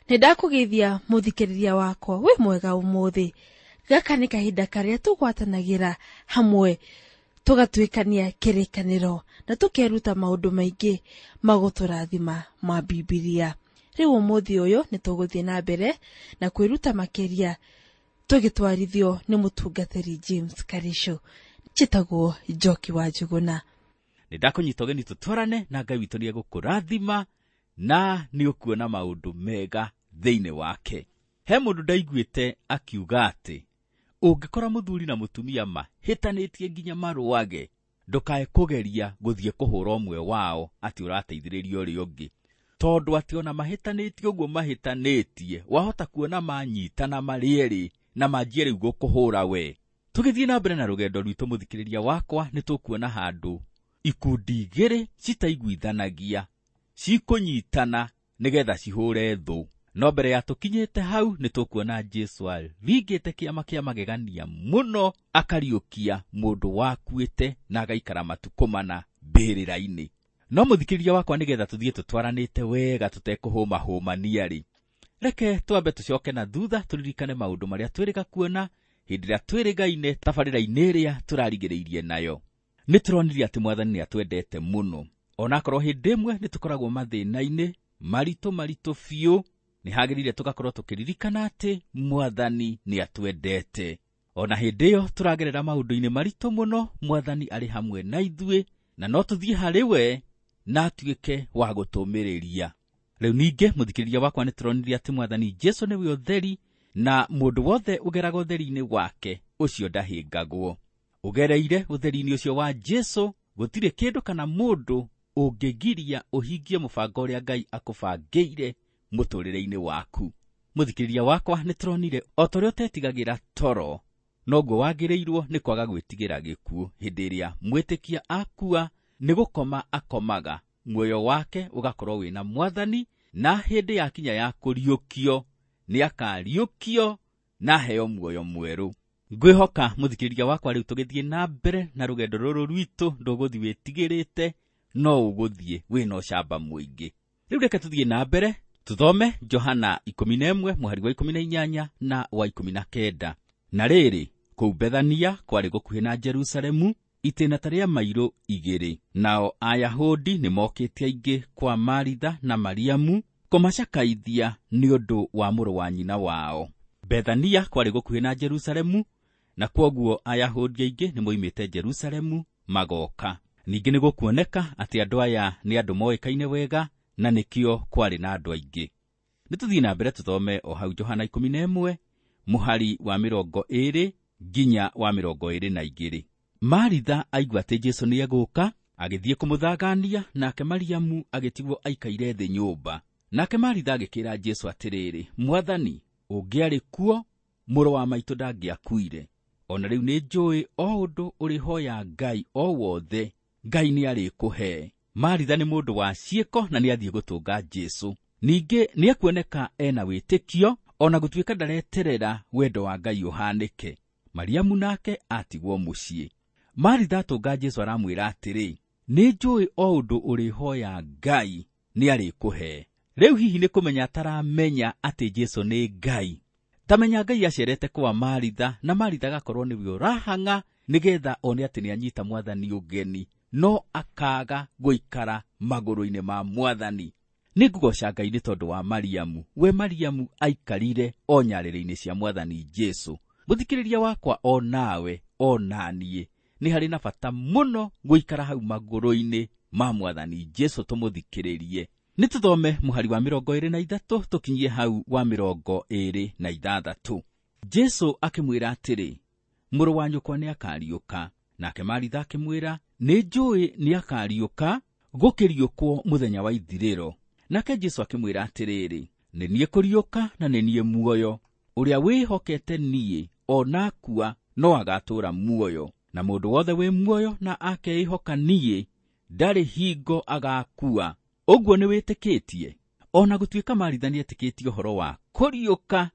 Nĩ ndakũgeithia mũthikĩrĩria wakwa wĩ mwega ũmũthĩ. Gaka nĩ kahinda karĩa tũgwatanagĩra hamwe tũgatuĩkania kĩrĩkanĩro na tũkeruta maũndũ maingĩ magũtũrathima ma Bibilia. Rĩu ũmũthĩ ũyũ nĩ tũgũthiĩ na mbere na kwĩruta makĩria tũgĩtwarithio nĩ mũtungatĩri James Karisho. Njĩtagwo Njoki wa Njũgũna. Nĩ ndakũnyita ũgeni tũtwarane na Ngai witũ nĩ egũkũrathima na nĩ ũkuona maũndũ mega thĩinĩ wake. He mũndũ ndaiguĩte akiuga atĩ ũngĩkora mũthuri na mũtumia mahĩtanĩtie nginya marũage, ndũkae kũgeria gũthiĩ kũhũra ũmwe wao atĩ ũrateithĩrĩria ũrĩa ũngĩ, tondũ atĩ ona mahĩtanĩtie ũguo mahĩtanĩtie wahota kuona manyitana marĩ erĩ na manjie rĩu gũkũhũra we. Tũgĩthiĩ na mbere na rũgendo rwitũ mũthikĩrĩria wakwa, nĩ tũkuona handũ ikundi igĩrĩ citaiguithanagia cikũnyitana nĩgetha cihũre thũ. No mbere ya tũkinyĩte hau nĩ tũkuona Jesu aringĩte kĩama kĩa magegania mũno, akariũkia mũndũ wakuĩte na agaikara matukũ mana mbĩrĩra-inĩ. No mũthikĩrĩria wakwa, nĩgetha tũthiĩ tũtwaranĩte wega tũtekũhũmahũmania-rĩ, reke twambe tũcoke na thutha tũririkane maũndũ marĩa twĩrĩga kuona hĩndĩ ĩrĩa twĩrĩgaine tabarĩra-inĩ ĩrĩa tũrarigĩrĩirie nayo. Nĩ tũronire atĩ Mwathani nĩ atwendete mũno, onakorwo hĩndĩ ĩmwe nĩ tũkoragwo mathĩna-inĩ maritũ maritũ biũ, nĩ hagĩrĩire tũgakorwo tũkĩririkana atĩ Mwathani nĩ atwendete. Ona hĩndĩ ĩyo tũragerera maũndũ-inĩ maritũ mũno, Mwathani arĩ hamwe na ithuĩ na no tũthiĩ harĩ we na atuĩke wa gũtũmĩrĩria. Rĩu ningĩ mũthikĩrĩria wakwa, nĩ tũronire atĩ Mwathani Jesu nĩwe ũtheri na mũndũ wothe ũgeraga ũtheri-inĩ wake ũcio ndahĩngagwo. Ũgereire ũtheri-inĩ ũcio wa Jesu, gũtirĩ kĩndũ kana mũndũ ũngĩgiria ũhingie mũbango ũrĩa Ngai akũbangĩire mũtũrĩre-inĩ waku. Mũthikĩrĩria wakwa, nĩ tũronire o ta ũrĩa ũtetigagĩra toro, noguo wagĩrĩirwo nĩ kwaga gwĩtigĩra gĩkuũ. Hĩndĩ ĩrĩa mwĩtĩkia akua, nĩ gũkoma akomaga, muoyo wake ũgakorwo wĩna Mwathani, na hĩndĩ yakinya ya kũriũkio nĩ akariũkio na aheo muoyo mwerũ. Ngwĩhoka mũthikĩrĩria wakwa, rĩu tũgĩthiĩ na mbere na rũgendo rũrũ rwitũ, ndũgũthiĩ wĩtigĩrĩte, no ũgũthiĩ wĩna ũcamba mũingĩ. Rĩu reke tũthiĩ na mbere tũthome Johana 11 mũhari wa 18 na wa 19. Na rĩrĩ, kũu Bethania kwarĩ gũkuhĩ na Jerusalemu, itĩna ta rĩa mairũ 2. Nao Ayahudi nĩ mokĩte aingĩ kwa Maritha na Mariamu kũmacakaithia nĩ ũndũ wa mũrũ wa nyina wao. Bethania kwarĩ gũkuhĩ na Jerusalemu, na kwoguo Ayahudi aingĩ nĩ moimĩte Jerusalemu magoka. Ningĩ nĩ gũkuoneka atĩ andũ aya nĩ andũ moĩkaine wega na nĩkĩo kwarĩ na andũ aingĩ. Nĩ tũthiĩ na mbere tũthome o hau Johana 11 mũhari wa 20 nginya wa 22. Maritha aigua atĩ Jesu nĩ egũka, agĩthiĩ kũmũthangania, nake Mariamu agĩtigwo aikaire thĩ nyũmba. Nake Maritha agĩkĩra Jesu atĩrĩrĩ, Mwathani, ũngĩarĩ kuo, mũrũ wa maitũ ndangĩakuire. Ona rĩu nĩ njũĩ o ũndũ ũrĩhoya Ngai o wothe, Ngai nĩ arĩkũhe. Maritha nĩ mũndũ wa ciĩko na nĩ athiĩ gũtũnga Jesu. Ningĩ nĩ ekuoneka ena wĩtĩkio ona gũtuĩka ndareterera wendo wa Ngai ũhanĩke. Mariamu nake atigwo mũciĩ. Maritha atũnga Jesu aramwĩra atĩrĩ, nĩ njũĩ o ũndũ ũrĩhoya Ngai nĩ arĩkũhe. Rĩu hihi nĩ kũmenya ataramenya atĩ Jesu nĩ Ngai. Tamenya Ngai acerete kwa Maritha na Maritha agakorwo nĩwe ũrahang'a nĩgetha one atĩ nĩ anyita Mwathani ũgeni, no akaga gũikara magũrũ-inĩ ma Mwathani. Nĩ ngũgoca Ngai nĩ tondũ wa Mariamu. We Mariamu aikarire o nyarĩrĩ-inĩ cia Mwathani Jesu. Mũthikĩrĩria wakwa, o nawe o naniĩ nĩ harĩ na bata mũno gũikara hau magũrũ-inĩ ma Mwathani Jesu tũmũthikĩrĩrie. Nĩ tũthome mũhari wa 23 tũkinyie hau wa 26. Jesu akĩmwĩra atĩrĩ, mũrũ wa nyũkwa nĩ akariũka. Nake Maritha akĩmwĩra, nĩ njũĩ nĩ akariũka gũkĩriũkwo mũthenya wa ithirĩro. Nake Jesu akĩmwĩra atĩrĩrĩ, nĩ niĩ kũriũka na nĩ niĩ muoyo. Ũrĩa wĩhokete niĩ ona akua no agatũũra muoyo, na mũndũ wothe wĩ muoyo na akeĩhoka niĩ ndarĩ hingo agakua. Ũguo nĩ wĩtĩkĩtie? Ona gũtuĩka Maritha nĩ etĩkĩtie ũhoro wa kũriũka,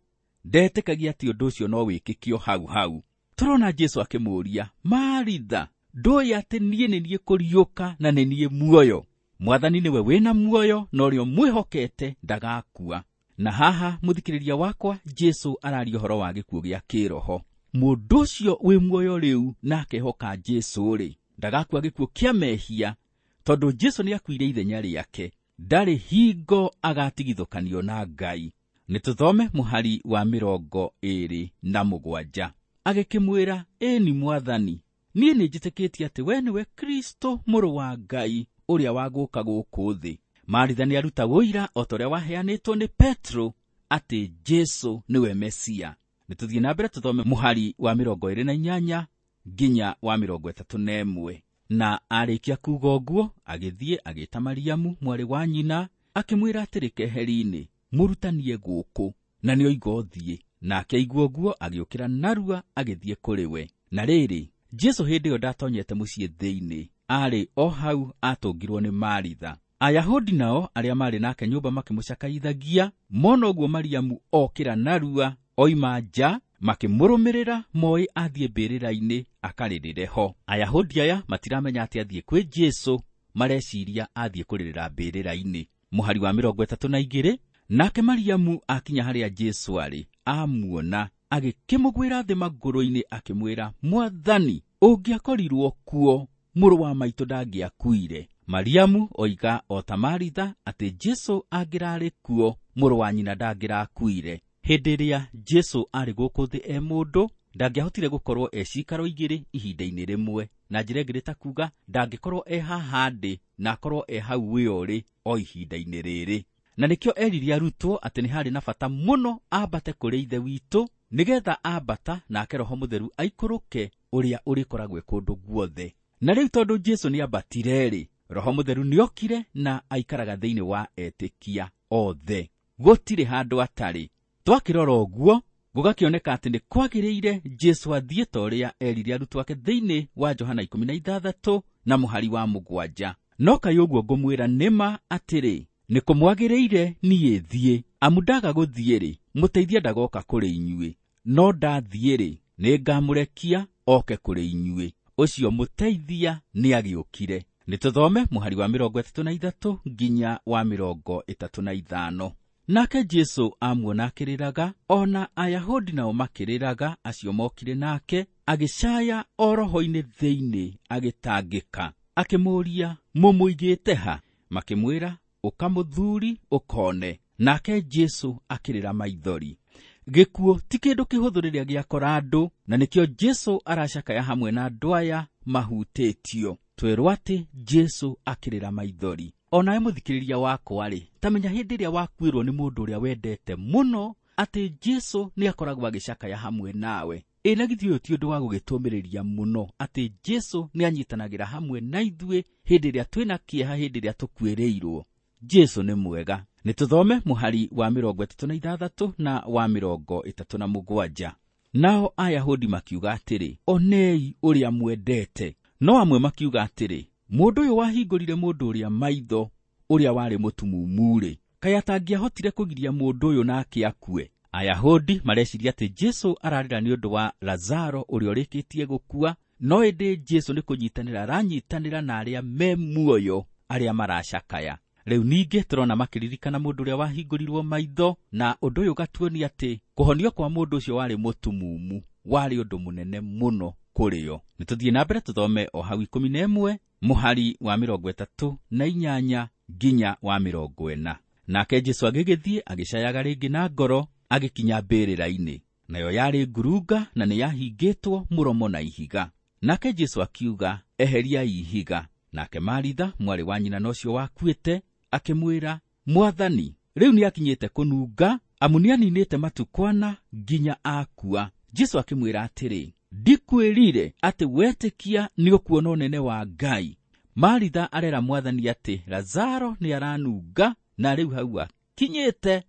ndetĩkagia atĩ ũndũ ũcio no wĩkĩkio hau hau. Tũrona Jesu akĩmũũria, Maritha, ndũĩ atĩ niĩ nĩ niĩ kũriũka na nĩ niĩ muoyo? Mwathani nĩwe wĩna muoyo na ũrĩa ũmwĩhokete ndagakua. Na haha mũthikĩrĩria wakwa, Jesu araria ũhoro wa gĩkuũ gĩa kĩroho. Mũndũ ũcio wĩ muoyo rĩu na akehoka Jesu rĩ, ndagakua gĩkuũ kĩa mehia, tondũ Jesu nĩakuire ithenya rĩake. Ndarĩ hingo agatigithũkanio na Ngai. Nĩ tũthome mũhari wa 27. Agĩkĩmwĩra, ĩni Mwathani, niĩ nĩnjĩtĩkĩtie atĩ we nĩwe Kristo mũrũ wa Ngai ũrĩa wa gũka gũkũ thĩ. Maritha nĩaruta ũira o ta ũrĩa waheanĩtwo nĩ Petro atĩ Jesu nĩwe Mesia. Nĩ tũthiĩ na mbere tũthome mũhari wa 28 nginya wa 31. Na arĩkia kuuga ũguo, agĩthiĩ agĩĩta Mariamu mwarĩ wa nyina, akĩmwĩra atĩrĩ keheri-inĩ, mũrutanie gũkũ, na nĩoiga ũthiĩ. Nake aigua ũguo agĩũkĩra narua agĩthiĩ kũrĩ we. Na rĩrĩ, Jesu hĩndĩ ĩyo ndatonyete mũciĩ thĩinĩ, aarĩ o hau atũngirwo nĩ Maritha. Ayahudi nao arĩa maarĩ nake nyũmba makĩmũcakaithagia, mona ũguo Mariamu okĩra narua oima nja, makĩmũrũmĩrĩra moĩ athiĩ mbĩrĩra-inĩ akarĩrĩre ho. Ayahudi aya matiramenya atĩ athiĩ kwĩ Jesu, mareciria athiĩ kũrĩrĩra mbĩrĩra-inĩ. Mũhari wa 32, nake Mariamu akinya harĩa Jesu arĩ, amuona, agĩkĩmũgwĩra thĩ magũrũ-inĩ akĩmwĩra, Mwathani, ũngĩakorirwo kuo, mũrũ wa maitũ ndangĩakuire. Mariamu oiga o ta Maritha atĩ Jesu angĩrarĩ kuo, mũrũ wa nyina ndangĩrakuire. Hĩndĩ ĩrĩa Jesu arĩ gũkũ thĩ e mũndũ, ndangĩahotire gũkorwo e cikaro igĩrĩ ihinda-inĩ rĩmwe. Na njĩra ĩngĩ nĩ ta kuga ndangĩkorwo e haha ndĩ na akorwo e hau wĩ ũrĩ o ihinda-inĩ rĩrĩ. Na nĩkĩo erire arutwo atĩ nĩ harĩ na bata mũno ambate kũrĩ Ithe witũ, nĩgetha ambata nake Roho Mũtheru aikũrũke ũrĩa ũrĩkoragwo e kũndũ guothe. Na rĩu tondũ Jesu nĩambatire-rĩ, Roho Mũtheru nĩokire na aikaraga thĩinĩ wa etĩkia othe. Gũtirĩ handũ atarĩ. Twakĩrora ũguo, gũgakĩoneka atĩ nĩ kwagĩrĩire Jesu athiĩ ta ũrĩa erire arutwo ake thĩinĩ wa Johana 16 na mũhari wa 7. No kaĩ ũguo ngũmwĩra nĩma atĩrĩ, nĩ kũmwagĩrĩire niĩ thiĩ, amu ndaga gũthiĩ-rĩ, mũteithia ndagoka kũrĩ inyuĩ, no ndathiĩ-rĩ, nĩngamũrekia oke kũrĩ inyuĩ. Ũcio mũteithia nĩagĩũkire. Nĩ tũthome mũhari wa 33 nginya wa 35. Nake Jesu amuona akĩrĩraga, ona Ayahudi nao makĩrĩraga acio mokire nake, agĩcaya o roho-inĩ thĩinĩ agĩtangĩka. Akĩmũũria, mũmũigĩte ha? Makĩmwĩra, ũka mũthuri ũkone. Nake Jesu akĩrĩra maithori. Gĩkuũ ti kĩndũ kĩhũthũ rĩrĩa gĩakora andũ, na nĩkĩo Jesu aracakaya hamwe na andũ aya mahutĩtio. Twerwo atĩ Jesu akĩrĩra maithori. Onawe mũthikĩrĩria wakwa rĩ, ta menya hĩndĩ ĩrĩa wakuĩrwo nĩ mũndũ ũrĩa wendete mũno, atĩ Jesu nĩakoragwo agĩcakaya hamwe nawe. Ĩ na githĩ ũyũ ti ũndũ wa gũgĩtũmĩrĩria mũno atĩ Jesu nĩanyitanagĩra hamwe na ithuĩ hĩndĩ ĩrĩa twĩna kĩeha, hĩndĩ ĩrĩa tũkuĩrĩirwo. Jesu nĩ mwega. Nĩ tũthome mũhari wa 36 na wa 37. Nao Ayahudi makiuga atĩrĩ, onei ũrĩa mwendete. No amwe makiuga atĩrĩ, mũndũ ũyũ wahingũrire mũndũ ũrĩa maitho, ũrĩa warĩ mũtumumu-rĩ, kaĩ atangĩahotire kũgiria mũndũ ũyũ nake akue? Ayahudi mareciria atĩ Jesu ararĩra nĩ ũndũ wa Lazaro ũrĩa ũrĩkĩtie gũkua, no ĩndĩ Jesu nĩ kũnyitanĩra aranyitanĩra na arĩa me muoyo, arĩa maracakaya. Rĩu ningĩ tũrona makĩririkana mũndũ ũrĩa wahingũrirwo maitho, na ũndũ ũyũ ũgatuonia atĩ kũhonio kwa mũndũ ũcio warĩ mũtumumu warĩ ũndũ mũnene mũno kũrĩ o. Nĩ tũthiĩ na mbere tũthome o hau 11 mũhari wa 38 nginya wa 40. Nake Jesu agĩgĩthiĩ agĩcayaga rĩngĩ na ngoro, agĩkinya mbĩrĩra-inĩ. Nayo yarĩ ngurunga na nĩyahingĩtwo mũromo na ihiga. Nake Jesu akiuga, eheriai ihiga. Nake Maritha mwarĩ wa nyina na ũcio wakuĩte akĩmwĩra, Mwathani, rĩu nĩakinyĩte kũnunga, amu nĩaninĩte matukũ ana nginya akua. Jesu akĩmwĩra atĩrĩ, ndikwĩrire atĩ wetĩkia nĩũkuona ũnene wa Ngai. Maritha arera Mwathani atĩ Lazaro nĩaranunga na rĩu hau akinyĩte.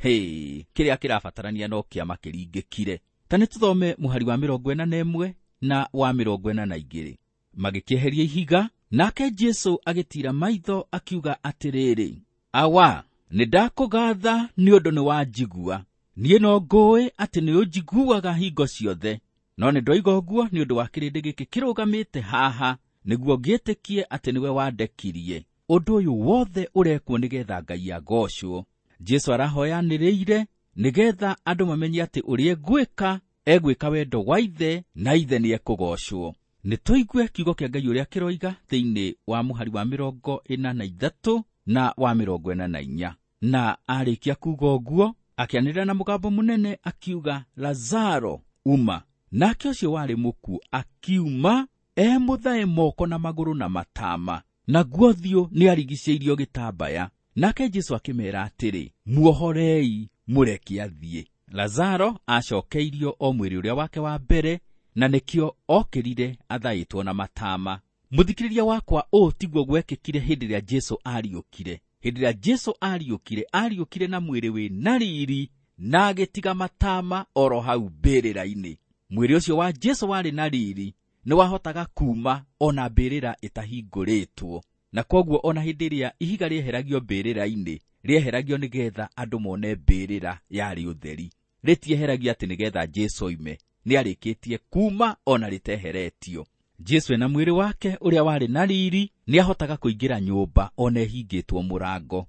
Hĩ, kĩrĩa kĩrabatarania no kĩama kĩringĩkire. Ta nĩ tũthome mũhari wa 41 na wa 42. Magĩkĩeheria ihiga, nake Jesu agĩtiira maitho akiuga atĩrĩrĩ, Awa, nĩndakũgatha nĩ ũndũ nĩwanjigua. Niĩ no ngũĩ atĩ nĩũnjiguaga hingo ciothe, no nĩndoiga ũguo nĩ ũndũ wa kĩrĩndĩ gĩkĩ kĩrũgamĩte haha, nĩguo ngĩtĩkie atĩ nĩwe wandekirie. Ũndũ ũyũ wothe ũrekwo nĩgetha Ngai agocwo. Jesu arahoyanĩrĩire nĩgetha andũ mamenye atĩ ũrĩa egwĩka egwĩka wendo wa Ithe na Ithe nĩ ekũgoocwo. Nĩ tũigue kiugo kĩa Ngai ũrĩa kĩroiga thĩinĩ wa mũhari wa 43 na wa 44. Na arĩkia kuuga ũguo akĩanĩrĩra na mũgambo mũnene akiuga, Lazaro, uma. Nake ũcio warĩ mũkuũ akiuma emũthae moko na magũrũ na matama, naguo ũthiũ nĩarigicĩirio gĩtambaya. Nake Jesu akĩmeera atĩrĩ, muohorei, mũreke athiĩ. Lazaro acokeirio o mwĩrĩ ũrĩa wake wa mbere, na nĩkĩo okĩrire athaĩtwo na matama. Mũthikĩrĩria wakwa, ũũ tiguo gwekĩkire hĩndĩ ĩrĩa Jesu ariũkire. Hĩndĩ ĩrĩa Jesu ariũkire, ariũkire na mwĩrĩ wĩ na riri na agĩtiga matama oro hau mbĩrĩra-inĩ. Mwĩrĩ ũcio wa Jesu warĩ na riri nĩwahotaga kuuma ona mbĩrĩra ĩtahingũrĩtwo, na kwoguo ona hĩndĩ ĩrĩa ihiga rĩeheragio mbĩrĩra-inĩ, rĩeheragio nĩgetha andũ mone mbĩrĩra yarĩ ũtheri. Rĩtieheragio atĩ nĩgetha Jesu oime, nĩarĩkĩtie kuuma ona rĩteheretio. Jesu ena mwĩrĩ wake ũrĩa warĩ na riri nĩahotaga kũingĩra nyũmba ona ĩhingĩtwo mũrango.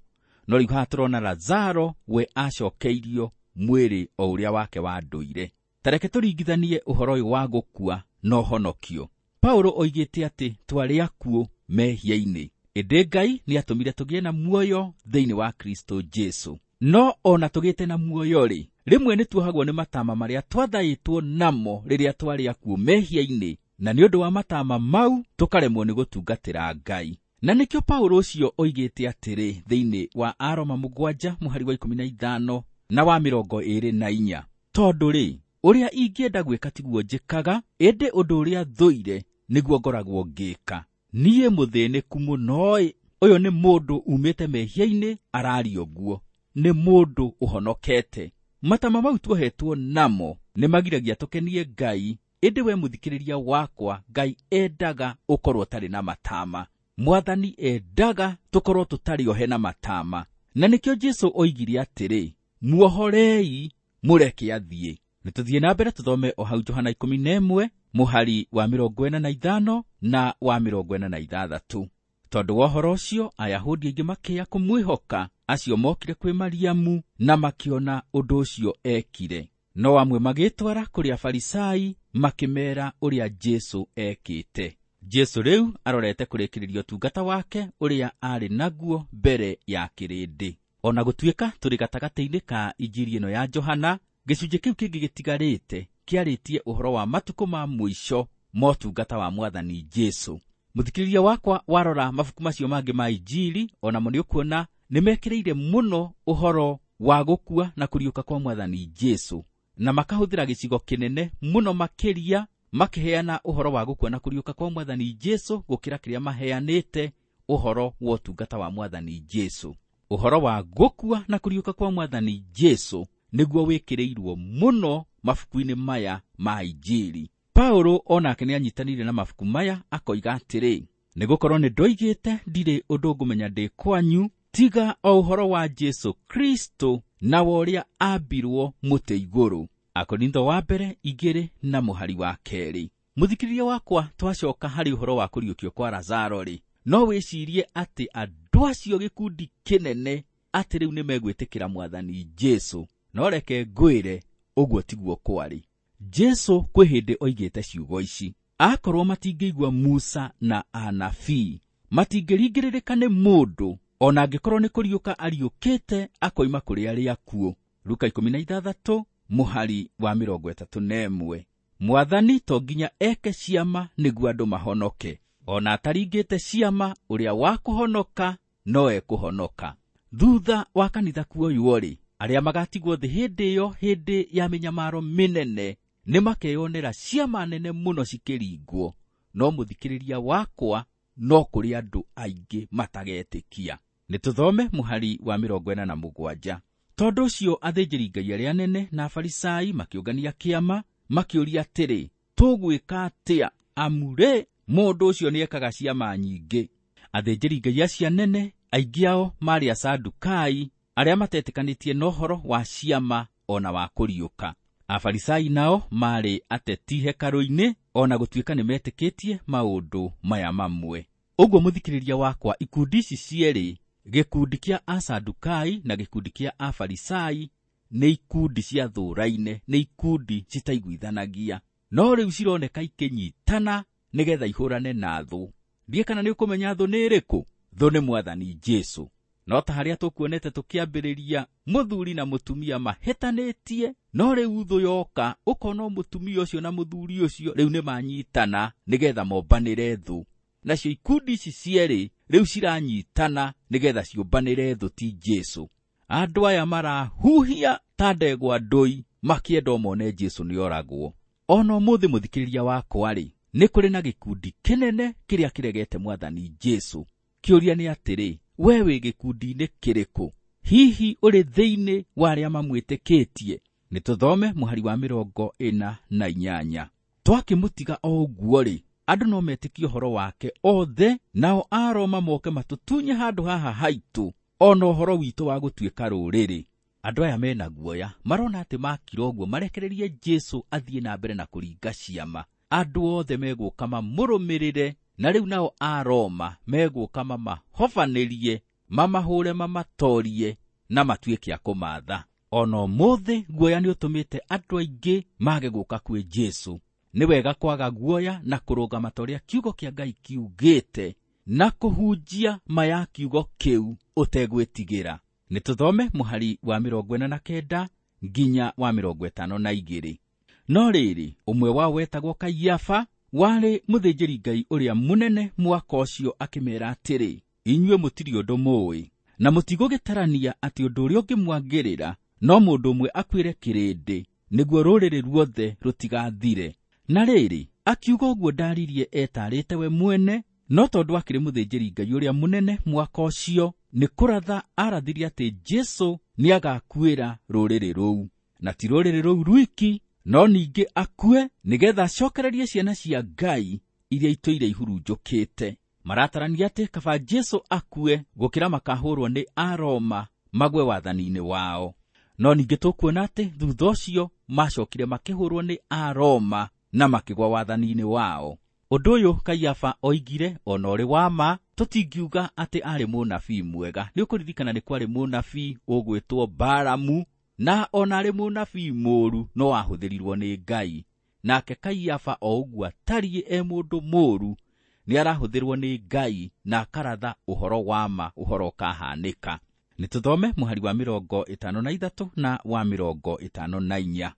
No rĩu haha tũrona Lazaro we acokeirio mwĩrĩ o ũrĩa wake wa ndũire. Ta reke tũringithanie ũhoro ũyũ wa gũkua na ũhonokio. Paulo oigĩte atĩ twarĩ akuũ mehia-inĩ, ĩndĩ Ngai nĩatũmire tũgĩe na muoyo thĩinĩ wa Kristo Jesu. No ona tũgĩte na muoyo-rĩ, rĩmwe nĩtuohagwo nĩ matama marĩa twathaĩtwo namo rĩrĩa twarĩ akuũ mehia-inĩ, na nĩ ũndũ wa matama mau tũkaremwo nĩ gũtungatĩra Ngai. Na nĩkĩo Paulo ũcio oigĩte atĩrĩ thĩinĩ wa Aroma 7 mũhari wa 15 na wa 24, tondũ rĩ, ũrĩa ingĩenda gwĩka tiguo njĩkaga, ĩndĩ ũndũ ũrĩa thũire nĩguo ngoragwo ngĩka. Niĩ mũthĩnĩku mũno-ĩ, ũyũ nĩ mũndũ umĩte mehia-inĩ araria ũguo, nĩ mũndũ ũhonokete. Matama mau tuohetwo namo nĩmagiragia tũkenie Ngai, ĩndĩ we mũthikĩrĩria wakwa, Ngai endaga ũkorwo ũtarĩ na matama. Mwathani endaga tũkorwo tũtarĩ ohe na matama. Na nĩkĩo Jesu oigire atĩrĩ, muohorei, mũreke athiĩ. Nĩtũthiĩ na mbere tũthome o hau Johana 11 mũhari wa 45 na wa 46. Tondũ wa ũhoro ũcio Ayahudi aingĩ makĩya kũmwĩhoka, acio mokire kwĩ Mariamu na makĩona ũndũ ũcio ekire. No amwe magĩtwara kũrĩ Afarisai makĩmeera ũrĩa Jesu ekĩte. Jesu rĩu arorete kũrĩkĩrĩria ũtungata wake ũrĩa arĩ naguo mbere ya kĩrĩndĩ. Ona gũtuĩka tũrĩ gatagatĩ-inĩ ka Injiri ĩno ya Johana, gĩcunjĩ kĩu kĩngĩ gĩtigarĩte kĩarĩtie ũhoro wa matukũ ma mũico motungata wa Mwathani Jesu. Mũthikĩrĩria wakwa, warora mabuku macio mangĩ ma Injiri, onamo nĩũkuona nĩmekĩrĩire mũno ũhoro wa gũkua na kũriũka kwa Mwathani Jesu, na makahũthĩra gĩcigo kĩnene mũno makĩria makĩheana ũhoro wa gũkua na kũriũka kwa Mwathani Jesu gũkĩra kĩrĩa maheanĩte ũhoro wa ũtungata wa Mwathani Jesu. Ũhoro wa gũkua na kũriũka kwa Mwathani Jesu nĩguo wĩkĩrĩirwo mũno mabuku-inĩ maya ma Injiri. Paulo onake nĩanyitanĩire na mabuku maya akoiga atĩrĩ, nĩgũkorwo nĩndoigĩte ndirĩ ũndũ ngũmenya ndĩ kwanyu tiga o ũhoro wa Jesu Kristo na wa ũrĩa ambirwo mũtĩ igũrũ. Akorintho wa mbere 2 na mũhari wa 2. Mũthikĩrĩria wakwa, twacoka harĩ ũhoro wa kũriũkio kwa Lazaro rĩ, no wĩcirie atĩ andũ acio gĩkundi kĩnene atĩ rĩu nĩmegwĩtĩkĩra Mwathani Jesu. No reke ngwĩre, ũguo tiguo kwarĩ. Jesu kwĩ hĩndĩ oigĩte ciugo ici, akorwo matingĩigua Musa na anabii, matingĩringĩrĩrĩka nĩ mũndũ ona angĩkorwo nĩ kũriũka ariũkĩte akoima kũrĩ arĩa akuũ. Luka 16 mũhari wa 31. Mwathani to nginya eke ciama nĩguo andũ mahonoke. Ona ataringĩte ciama, ũrĩa wa kũhonoka no ekũhonoka. Thutha wa kanitha kuoywo-rĩ, arĩa magatigwo thĩ hĩndĩ ĩyo, hĩndĩ ya mĩnyamaro mĩnene, nĩmakeyonera ciama nene mũno cikĩringwo. No mũthikĩrĩria wakwa, no kũrĩ andũ aingĩ matagetĩkia. Nĩtũthome mũhari wa 47. Tondũ ũcio athĩnjĩri-Ngai arĩa anene na Afarisai makĩũngania kĩama, makĩũria atĩrĩ, tũgwĩka atĩa? Amu rĩ, mũndũ ũcio nĩekaga ciama nyingĩ. Athĩnjĩri-Ngai acio anene, aingĩ ao maarĩ Asadukai, arĩa matetĩkanĩtie na ũhoro wa ciama ona wa kũriũka. Afarisai nao maarĩ ateti hekarũ-inĩ, ona gũtuĩka nĩmetĩkĩtie maũndũ maya mamwe. Ũguo mũthikĩrĩria wakwa, ikundi ici cierĩ, Gĩkundi kĩa Asadukai na gĩkundi kĩa Afarisai nĩ ikundi ciathũraine, nĩ ikundi citaiguithanagia, no rĩu cironeka ikĩnyitana nĩgetha ihũrane na thũ. Ndiĩ kana nĩ ũkũmenya thũ nĩ ĩrĩkũ? Thũ nĩ Mwathani Jesũ. No ta harĩa tũkuonete tũkĩambĩrĩria, mũthuri na mũtumia mahĩtanĩtie, no rĩu thũ yoka ũkona mũtumia ũcio na mũthuri ũcio rĩu nĩ manyitana nĩgetha mombanĩre thũ. Nacio ikundi ici cierĩ rĩu ciranyitana nĩgetha ciũmbanĩre thũ ti Jesũ. Andũ aya marahuhia ta ndegwa ndũi makĩenda mone Jesũ nĩoragwo. Ona ũmũthĩ mũthikĩrĩria wakwa-rĩ, nĩ kũrĩ na gĩkundi kĩnene kĩrĩa kĩregete Mwathani Jesũ. Kĩũria nĩ atĩrĩ, we wĩ gĩkundi-inĩ kĩrĩkũ? Hihi ũrĩ thĩinĩ wa arĩa mamwĩtĩkĩtie? Nĩ tũthome mũhari wa 48. Twakĩmũtiga o ũguo-rĩ, andũ no metĩkie ũhoro wake othe, nao Aroma moke matũtunye handũ haha haitũ, ona ũhoro witũ wa gũtuĩka rũrĩrĩ. Andũ aya mena guoya, marona atĩ makira ũguo marekererie Jesũ athiĩ na mbere na kũringa ciama. Andũ othe megũka mamũrũmĩrĩre, na rĩu nao Aroma megũka mamahobanĩrie, mamahũre, mamatorie na matuĩke a kũmaatha. Ona ũmũthĩ guoya nĩ ũtũmĩte andũ aingĩ mage gũka kwĩ Jesũ. Nĩ wega kwaga guoya na kũrũgama ta ũrĩa kiugo kĩa Ngai kiugĩte na kũhunjia ma ya kiugo kĩu ũtegwĩtigĩra. Nĩ tũthome mũhari wa 49 nginya wa 52. No rĩrĩ, ũmwe wao wetagwo Kaiafa, warĩ mũthĩnjĩri-Ngai ũrĩa mũnene mwaka ũcio, akĩmeera atĩrĩ, inyuĩ mũtirĩ ũndũ mũũĩ, na mũtigũgĩtarania atĩ ũndũ ũrĩa ũngĩmwagĩrĩra no mũndũ ũmwe akuĩre kĩrĩndĩ, nĩguo rũrĩrĩ ruothe rũtigathire. Na rĩrĩ, akiuga ũguo ndaririe etarĩte we mwene, no tondũ akĩrĩ mũthĩnjĩri-Ngai ũrĩa mũnene mwaka ũcio, nĩ kũratha arathirie atĩ Jesũ nĩagakuĩra rũrĩrĩ rũu, na ti rũrĩrĩ rũu rwiki, no ningĩ akue nĩgetha acokererie ciana cia Ngai iria itũire ihurunjũkĩte. Maratarania atĩ kaba Jesũ akue gũkĩra makahũrwo nĩ Aroma magwe wathani-inĩ wao. No ningĩ tũkuona atĩ thutha ũcio macokire makĩhũrwo nĩ Aroma na makĩgwa wathani-inĩ wao. Ũndũ ũyũ Kaiafa oigire ona ũrĩ wa ma, tũtingiuga atĩ arĩ mũnabii mwega. Nĩ ũkũririkana nĩ kwarĩ mũnabii ũgwĩtwo Balamu, na ona arĩ mũnabii mũũru no ahũthĩrirwo nĩ Ngai. Nake Kaiafa o ũguo atariĩ e mũndũ mũũru, nĩ arahũthĩrwo nĩ Ngai na akaratha ũhoro wa ma, ũhoro ũkahanĩka. Nĩ tũthome mũhari wa 53 na wa 54.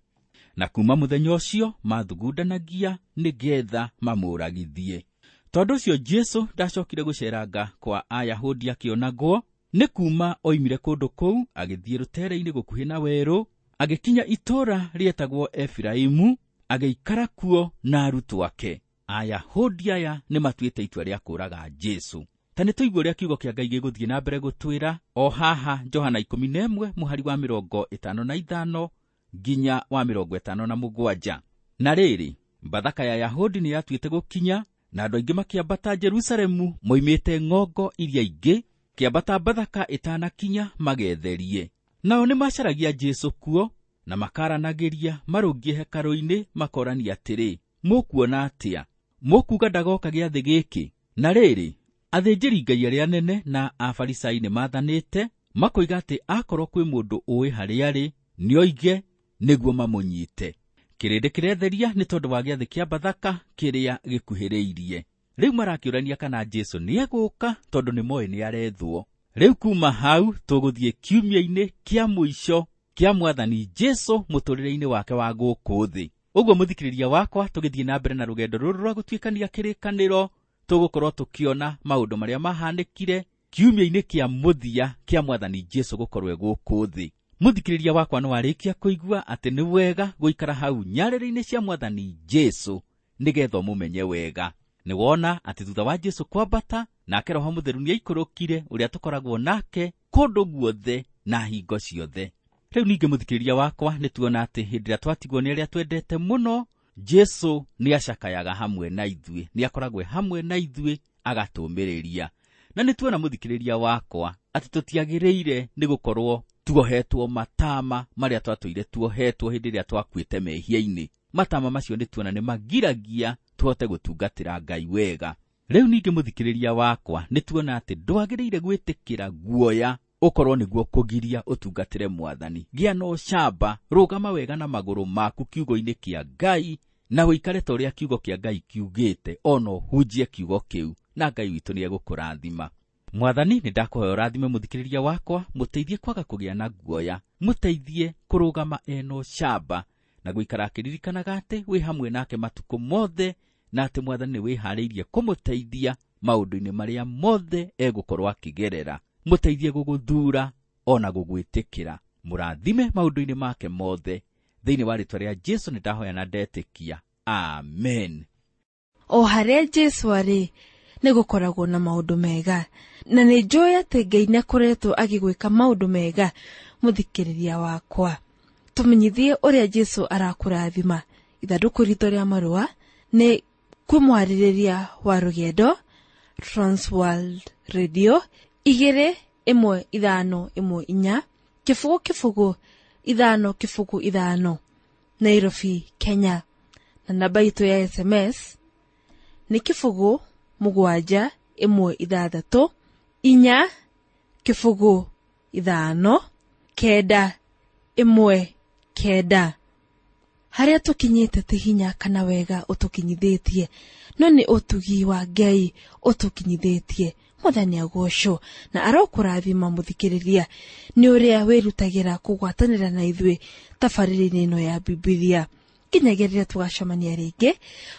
Na kuma mũthenya ũcio mathugundanagia nĩgetha mamũragithie. Tondũ ũcio Jesũ ndacokire gũceranga kwa Ayahudi akĩonagwo, nĩ kuma oimire kũndũ kũu agĩthiĩ rũtere-inĩ gũkuhĩ na werũ, agĩkinya itũũra rĩetagwo Efiraimu, agĩikara kuo na arutwo ake. Ayahudi aya nĩ matuĩte itua rĩa kũũraga Jesũ. Ta nĩ tũigue ũrĩa kiugo kĩa Ngai gĩgũthiĩ na mbere gũtwĩra o haha Johana 11 mũhari wa 55 nginya wa 57. Na rĩrĩ, Bathaka ya Yahudi nĩ yatuĩte gũkinya, na andũ aingĩ makĩambata Jerusalemu moimĩte ng'ongo iria ingĩ, kĩambata Bathaka ĩtanakinya magetherie. Nao nĩ macaragia Jesũ kuo, na makaranagĩria marũngiĩ hekarũ-inĩ makorania atĩrĩ, mũkuona atĩa? Mũkuuga ndagoka gĩathĩ gĩkĩ? Na rĩrĩ, athĩnjĩri-Ngai arĩa anene na Afarisai nĩ maathanĩte makoiga atĩ akorwo kwĩ mũndũ ũĩ harĩa arĩ, nĩoige nĩguo mamũnyite. Kĩrĩndĩ kĩretheria nĩ tondũ wa gĩathĩ kĩa Bathaka kĩrĩa gĩkuhĩrĩirie. Rĩu marakĩũrania kana Jesũ nĩegũka tondũ nĩmoĩ nĩarethwo. Rĩu kuma hau tũgũthiĩ kiumia-inĩ kĩa mũico kĩa Mwathani Jesũ mũtũrĩre-inĩ wake wa gũkũ thĩ. Ũguo mũthikĩrĩria wakwa, tũgĩthiĩ na mbere na rũgendo rũrũ rwa gũtuĩkania kĩrĩkanĩro, tũgũkorwo tũkĩona maũndũ marĩa mahanĩkire kiumia-inĩ kĩa mũthia kĩa Mwathani Jesũ gũkorwo e gũkũ thĩ. Mũthikĩrĩria wakwa no arĩkia kũigua atĩ nĩ wega gũikara hau nyarĩrĩ-inĩ cia Mwathani Jesũ nĩgetha ũmũmenye wega. Nĩ wona atĩ thutha wa Jesũ kwambata, nake Roho Mũtheru nĩaikũrũkire ũrĩa tũkoragwo nake kũndũ guothe na hingo ciothe. Rĩu ningĩ mũthikĩrĩria wakwa, nĩ tuona atĩ hĩndĩ ĩrĩa twatigwo nĩ arĩa twendete mũno, Jesũ nĩacakayaga hamwe na ithuĩ, nĩakoragwo hamwe na ithuĩ agatũũmĩrĩria. Na nĩ tuona mũthikĩrĩria wakwa atĩ tũtiagĩrĩire nĩ gũkorwo tuohetwo matama marĩa twatũire tuohetwo hĩndĩ ĩrĩa twakuĩte mehia-inĩ. Matama macio nĩ tuona nĩ magiragia tũhote gũtungatĩra Ngai wega. Rĩu ningĩ mũthikĩrĩria wakwa, nĩ tuona atĩ ndwagĩrĩire gwĩtĩkĩra guoya ũkorwo nĩguo kũgiria ũtungatĩre mwathani. Gĩa na ũcamba, rũgama wega na magũrũ maku kiugo-inĩ kĩa Ngai, na ũikare ta ũrĩa kiugo kĩa Ngai kiugĩte, ona ũhunjie kiugo kĩu, na Ngai witũ nĩ egũkũrathima. Mwathani, nĩ ndakũhoya ũrathime mũthikĩrĩria wakwa, mũteithie kwaga kũgĩa na guoya, mũteithie kũrũgama ena ũcamba, na gũikara akĩririkanaga atĩ wĩ hamwe nake matukũ mothe, na atĩ mwathani nĩ wĩharĩirie kũmũteithia maũndũ-inĩ marĩa mothe egũkorwo akĩgerera. Mũteithie gũgũthuura ona gũgwĩtĩkĩra. Mũrathime maũndũ-inĩ make mothe. Thĩinĩ wa rĩĩtwa rĩa Jesu nĩ ndahoya na ndetĩkia. Amen. O harĩa Jesu arĩ nĩ gũkoragwo na maũndũ mega, na nĩ njũĩ atĩ Ngai nĩ akoretwo agĩgwĩka maũndũ mega. Mũthikĩrĩria wakwa, tũmenyithie ũrĩa Jesu arakũrathima. Ithandũkũ ritũ rĩa marũa nĩ kwĩ mwarĩrĩria wa rũgendo, Transworld Radio 21514 0 0 5 0 5, Nairobi, Kenya. Na namba itũ ya SMS nĩ 0 7 1 6 4 0 5 9 1 9. Harĩa tũkinyĩte ti hinya kana wega ũtũkinyithĩtie, no nĩ ũtugi wa Ngai ũtũkinyithĩtie. Mwathani agocwo na arokũrathima mũthikĩrĩria nĩ ũrĩa wĩrutagĩra kũgwatanĩra na ithuĩ tabarĩra-inĩ ĩno ya Bibilia. Nginyagia rĩrĩa tũgacemania rĩngĩ,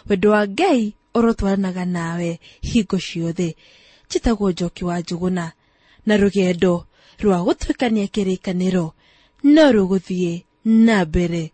wendo wa Ngai ũrotwaranaga nawe hingo ciothe. Njĩtagwo Njoki wa Njũgũna, na rũgendo rwa gũtuĩkania kĩrĩkanĩro no rũgũthiĩ na mbere.